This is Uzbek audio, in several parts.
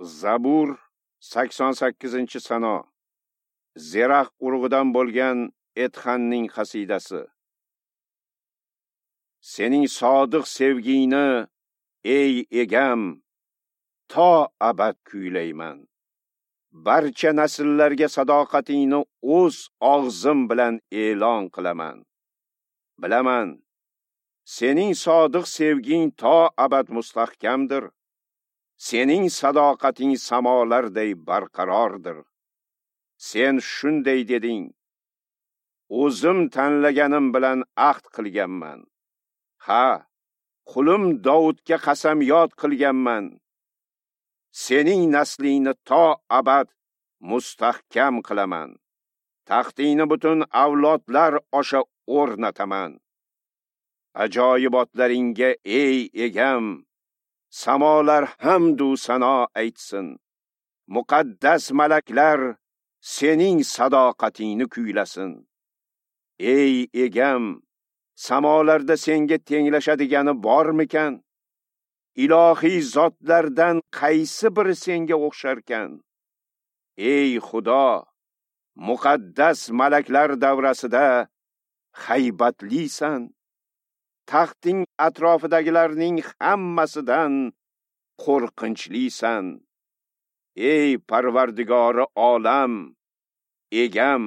Zabur 88-sano. Zerax urug'idan bo'lgan Etxanning qasidasi. Sening sodiq sevgingni, ey egam, to abad kuylayman. Barcha nasllarga sadoqatingni o'z og'zim bilan e'lon qilaman. Bilaman, sening sodiq sevging to abad mustahkamdir. Sening sadoqating samolarday barqarordir. Sen shunday deding: O'zim tanlaganim bilan ahd qilganman. Ha, qulim Davudga qasamyod qilganman. Sening naslingni to abad mustahkam qilaman. Taxtingni butun avlodlar osha o'rnataman. Ajoyibotlaringga, ey egam, samolar hamdu sano aytsin. Muqaddas malaklar sening sadoqatingni kuylasin. Ey egam, samolarda senga tenglashadigani bormikan? Ilohiy zotlardan qaysi biri senga o'xsharkan? Ey Xudo, muqaddas malaklar davrasida haybatlisan. Taxting atrofidagilarning hammasidan qo'rqinchlisan. Ey Parvardigori olam, egam,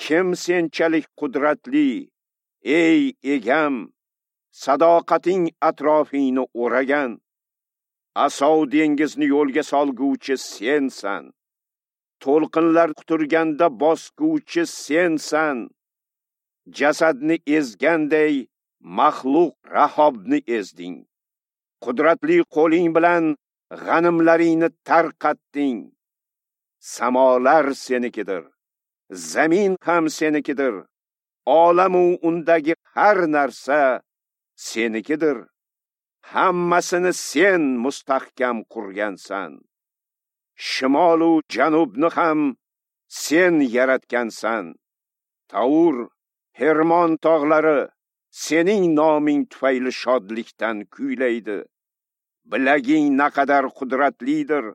kim senchalik qudratli? Ey egam, sadoqating atrofingni o'ragan. Asov dengizni yo'lga solguvchi sensan. To'lqinlar quturganda bosguvchi sensan. Jasadni ezganday maxluq Rahobni ezding. Qudratli qo'ling bilan g'animlaringni tarqatding. Samolar senikidir, zamin ham senikidir. Olamu undagi har narsa senikidir. Hammasini sen mustahkam qurgansan. Shimol u janubni ham sen yaratgansan. Taur, Hermon tog'lari sening noming tufayli shodlikdan kuylaydi. Bilaging naqadar qudratlidir.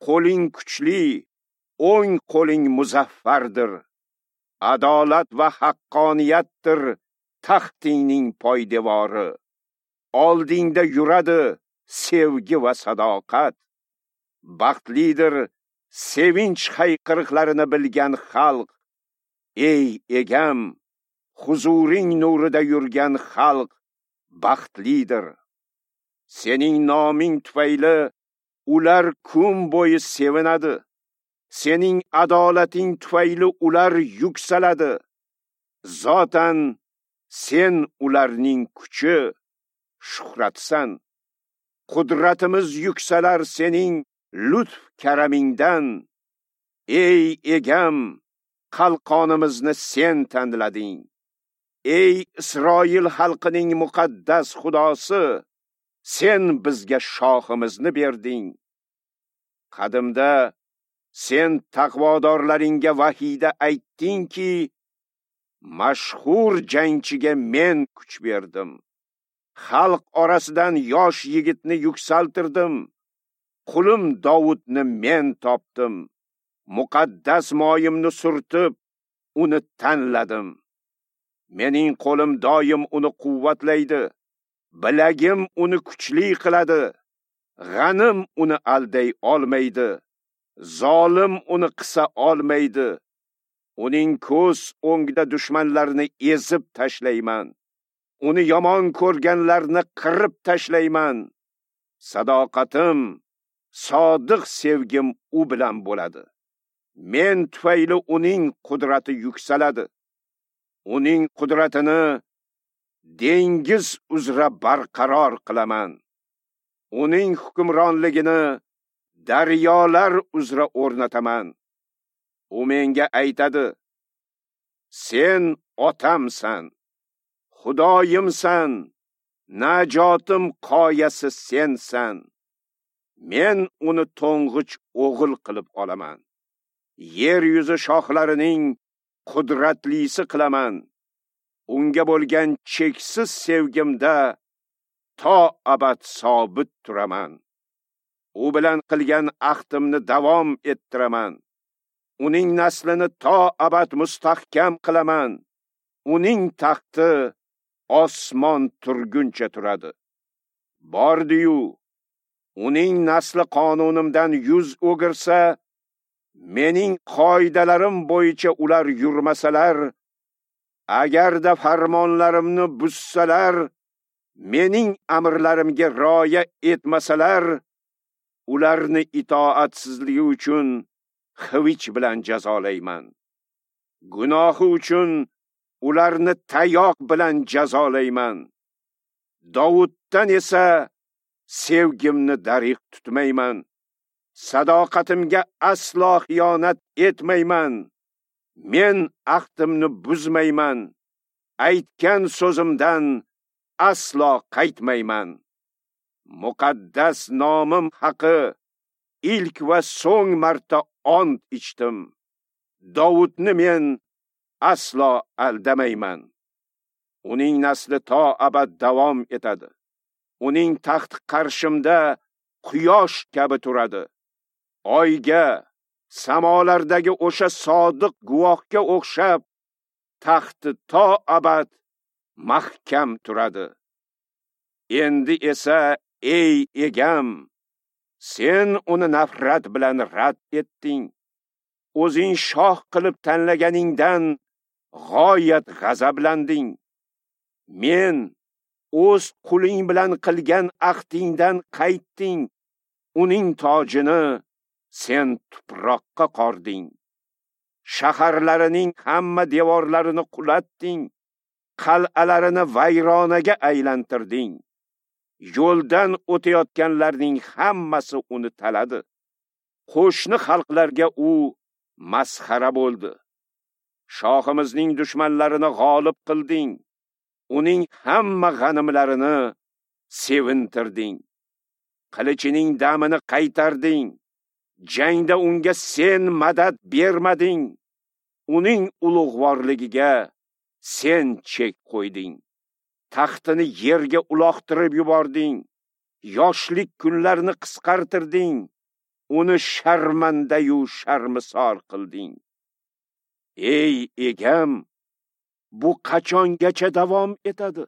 Qo'ling kuchli, o'ng qo'ling muzaffardir. Adolat va haqqoniyatdir taxtingning poydevori. Oldingda yuradi sevgi va sadoqat. Baxtlidir sevinch hayqiriqlarini bilgan xalq. Ey egam, huzuring nurida yurgan xalq baxtlidir. Sening noming tufayli ular kun bo'yi sevinadi. Sening adolating tufayli ular yuksaladi. Zotan sen ularning kuchi, shuhratsan. Qudratimiz yuksalar sening lutf karamingdan. Ey egam, qalqonimizni sen tanlading. Ey Isroil xalqining muqaddas Xudosi, sen bizga shohimizni berding. Qadimda sen taqvodorlaringga vahiyda aytdingki, mashhur jangchiga men kuch berdim. Xalq orasidan yosh yigitni yuksaltirdim. Qulim Davudni men topdim. Muqaddas moyimni surtib, uni tanladim. Mening qo'lim doim uni quvvatlaydi. Bilagim uni kuchli qiladi. G'anim uni alday olmaydi. Zolim uni qisa olmaydi. Uning ko'z o'ngida dushmanlarni ezib tashlayman. Uni yomon ko'rganlarni qirib tashlayman. Sadoqatim, sodiq sevgim u bilan bo'ladi. Men tufayli uning qudrati yuksaladi. Uning qudratini dengiz uzra barqaror qilaman. Uning hukmronligini daryolar uzra o'rnataman. U menga aytadi: Sen otamsan, Xudoyimsan, najotim qoyasi sensan. Men uni to'ng'ich o'g'il qilib olaman. Yer yuzi shohlarining qudratlisi qilaman. Unga bo'lgan cheksiz sevgimda to abad sobit turaman. U bilan qilgan ahdimni davom ettiraman. Uning naslini to abad mustahkam qilaman. Uning taxti osmon turguncha turadi. Bordi-yu, uning nasli qonunimdan yuz o'girsa, mening qoidalarim bo'yicha ular yurmasalar, agarda farmonlarimni buzsalar, mening amrlarimga rioya etmasalar, ularni itoatsizligi uchun xivich bilan jazolayman. Gunohi uchun ularni tayoq bilan jazolayman. Davuddan esa sevgimni darig' tutmayman. Sadoqatimga aslo xiyonat etmayman. Men ahdimni buzmayman. Aytgan so'zimdan aslo qaytmayman. Muqaddas nomim haqi ilk va so'ng marta ont ichdim. Davudni men aslo aldamayman. Uning nasli to abad davom etadi. Uning taxti qarshimda quyosh kabi turadi. Oyga, samolardagi o'sha sodiq guvohga o'xshab taxti to abad mahkam turadi. Endi esa ey egam, sen uni nafrat bilan rad etding. O'zing shoh qilib tanlaganingdan g'oyat g'azablanding. Men o'z quling bilan qilgan ahdingdan qaytding. Uning tojini sen tuproqqa qording. Shaharlarining hamma devorlarini qulatding, qal'alarini vayronaga aylantirding. Yo'ldan o'tayotganlarning hammasi uni taladi. Qo'shni xalqlarga u masxara bo'ldi. Shohimizning dushmanlarini g'olib qilding. Uning hamma g'animlarini sevintirding. Qilichining damini qaytarding. Jangda unga sen madad bermading. Uning ulug'vorligiga sen chek qo'yding. Taxtini yerga uloqtirib yubording. Yoshlik kunlarini qisqartirding. Uni sharmandayu sharmisor qilding. Ey egam, bu qachongacha davom etadi?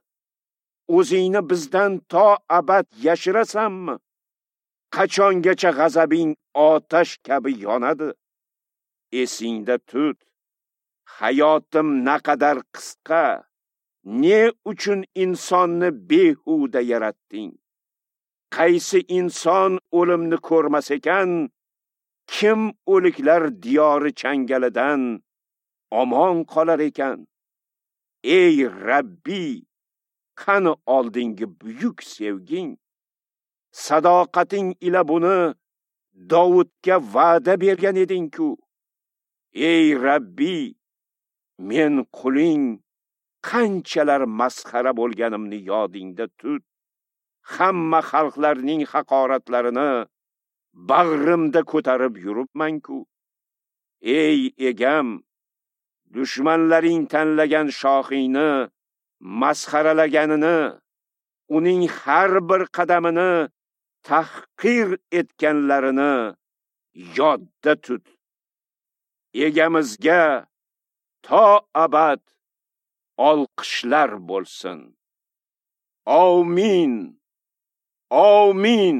O'zingni bizdan to abad yashirasanmi? Qachongacha g'azabing otash kabi yonadi? Esingda tut, hayotim naqadar qisqa. Ne uchun insonni behuda yaratding? Qaysi inson o'limni ko'rmas ekan, kim o'liklar diyori changalidan omon qolar ekan? Ey Rabbi, qani oldingi buyuk sevging? Sadoqating ila buni Davudga va'da bergan eding-ku. Ey Rabbi, men quling qanchalar masxara bo'lganimni yodingda tut. Hamma xalqlarning haqoratlarini bag'rimda ko'tarib yuribman-ku. Ey egam, dushmanlaring tanlagan shohingni masxaralaganini, uning har bir qadamini tahqir etganlarini yodda tut. Egamizga to abad olqishlar bo'lsin. Amin. Amin.